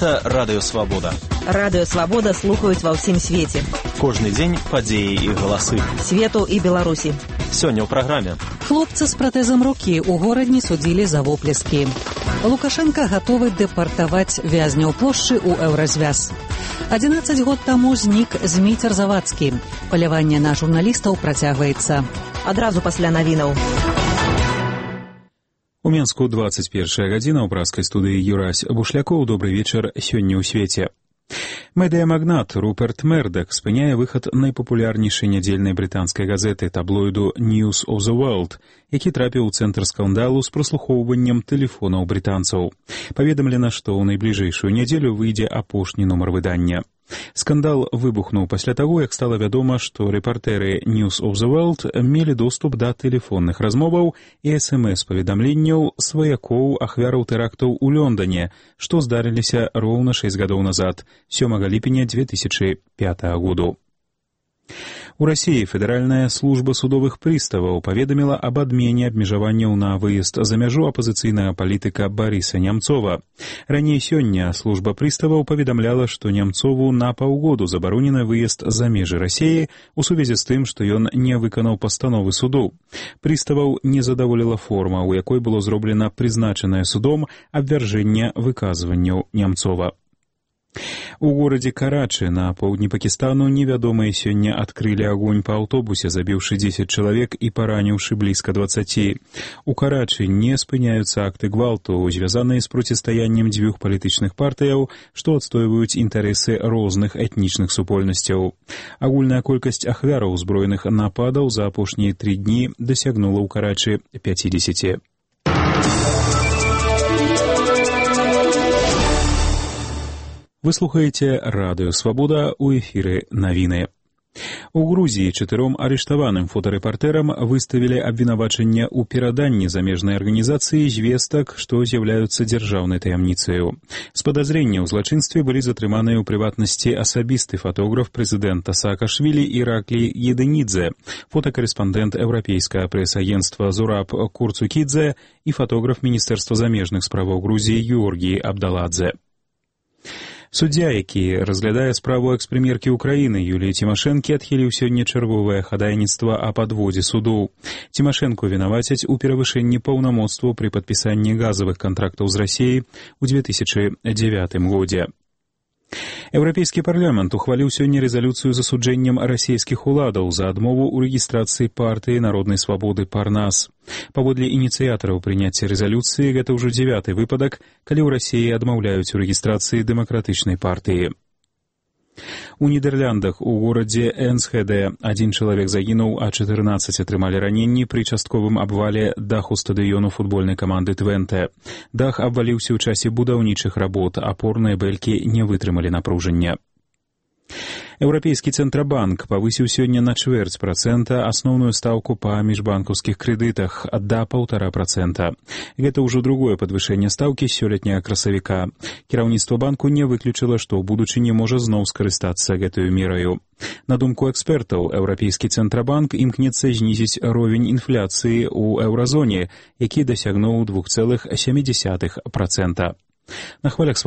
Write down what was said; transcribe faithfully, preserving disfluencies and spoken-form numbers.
Гэта Радыё Свабода. Радыё Свабода слухаюць ва ўсім свеце. Кожны дзень падзеі і галасы. Свету і Беларусі. Сёння ў праграме. Хлопцы з пратэзам рукі ў горадні судзілі за воплескі. Лукашенко гатовы дэпартаваць вязняў плошчы ў еўразвяз. адзінаццаць год таму знік Зміцер Завадскі. Паляванне на журналістаў працягваецца. Адразу пасля навінаў. У Менску двадцать первая гадзіна ў праскай студыі Юрась Бушлякоў. Добрый вечар сёння ў свеце. Медыямагнат Руперт Мердак спыняе выхад найпапулярнейшай нядзельнай брытанскай газеты таблоіду News of the World, які трапіў у цэнтр скандалу з праслухоўваннем тэлефонаў брытанцаў. Паведамлена, што ў найбліжэйшую нядзелю выйдзе апошні нумар выдання. Скандал выбухнуў пасля таго, як стала вядома, што рэпартэры News of the World мелі доступ да тэлефонных размоваў і эс эм эс-паведамленняў сваякоў ахвяраў тэрактаў у Лондоне, што здарыліся роўна шэсць гадоў назад, сёмага ліпеня две тысячи пятага году. У Расіі Федэральная служба судовых прыставаў паведаміла аб адмене абмежаванняў на выезд за мяжу апазіцыйнага палітыка Барыса Нямцова. Раней сёння служба прыставаў паведамляла, што Нямцову на паўгоду забаронены выезд за межы Расіі у сувязі з тым, што ён не выканаў пастановы суду. Прыставаў не задаволіла форма, у якой было зроблена прызначанае судом абвяржэнне выказванняў Нямцова. У горадзе Карачы на поўдні Пакістану невядомыя сёння адкрылі агонь па аўтобусе, забіўшы дзесяць чалавек і параніўшы блізка дваццаці. У Карачы не спыняюцца акты гвалту, звязаныя з процістаяннем дзвюх палітычных партыяў, што адстойваюць інтарэсы розных этнічных супольнасцяў. Агульная колькасць ахвяраў узброеных нападаў за апошнія тры дні дасягнула ў Карачы пяцідзесяці. Вы слухаеце Радыё Свабода, у эфіры навіны. У Грузіі чатыром арыштаваным фотарэпартэрам выставілі абвінавачанне ў пераданні замежнай арганізацыі звестак, што з'яўляюцца дзяржаўнай таямніцаю. З падазрення ў злачынстве былі затрыманыя ў прыватнасці асабісты фатограф прэзідэнта Саакашвілі Іраклі Едэнідзе, фотакарэспандэнт еўрапейскага прэс-агенцтва Зураб Курцукідзе і фатограф Міністэрства замежных справаў Грузіі Георгій Абдаладзе. Суддзя, які разглядае справу экс-прэм'еркі ўкраіны Юліі Цімашэнкі, адхіліў сёння чарговае хадайніцтва о падводзе суду. Цімашэнку вінавацяць у перавышэнні паўнамоцтваў пры падпісанні газавых кантрактаў з Расіяй у две тысячи дзевятым годзе. Еўрапейскі парламент ухваліў сёння рэзалюцыю з асуджэннем расійскіх уладаў за адмову ў рэгістрацыі партыі народнай свабоды Парнас. Паводле ініцыятараў прыняцця рэзалюцыі, гэта ўжо дзявяты выпадак, калі ў Расіі адмаўляюць у рэгістрацыі дэмакратычнай партыі. У Нідерландах у горадзе Энсхеде адзін чалавек загінуў, а чатырнаццаць атрымалі раненні пры частковым абвале даху стадыёну футбольнай каманды Твенте. Дах абваліўся ў часе будаўнічых работ, апорныя бэлькі не вытрымалі напружання. Еўрапейскі цэнтрабанк павысіў сёння на чвэрць працэнта асноўную стаўку па міжбанкаўскіх крэдытах да паўтара працэнта. Гэта ўжо другое падвышэнне стаўкі сёлетняга красавіка. Кіраўніцтва банку не выключыла, што ў будучыні можа зноў скарыстацца гэтую мераю. На думку экспертаў, Еўрапейскі цэнтрабанк імкнецца знізіць ровень інфляцыі ў еўразоне, які дасягнуў двух цэлых сем десятых працэнта. На хвалях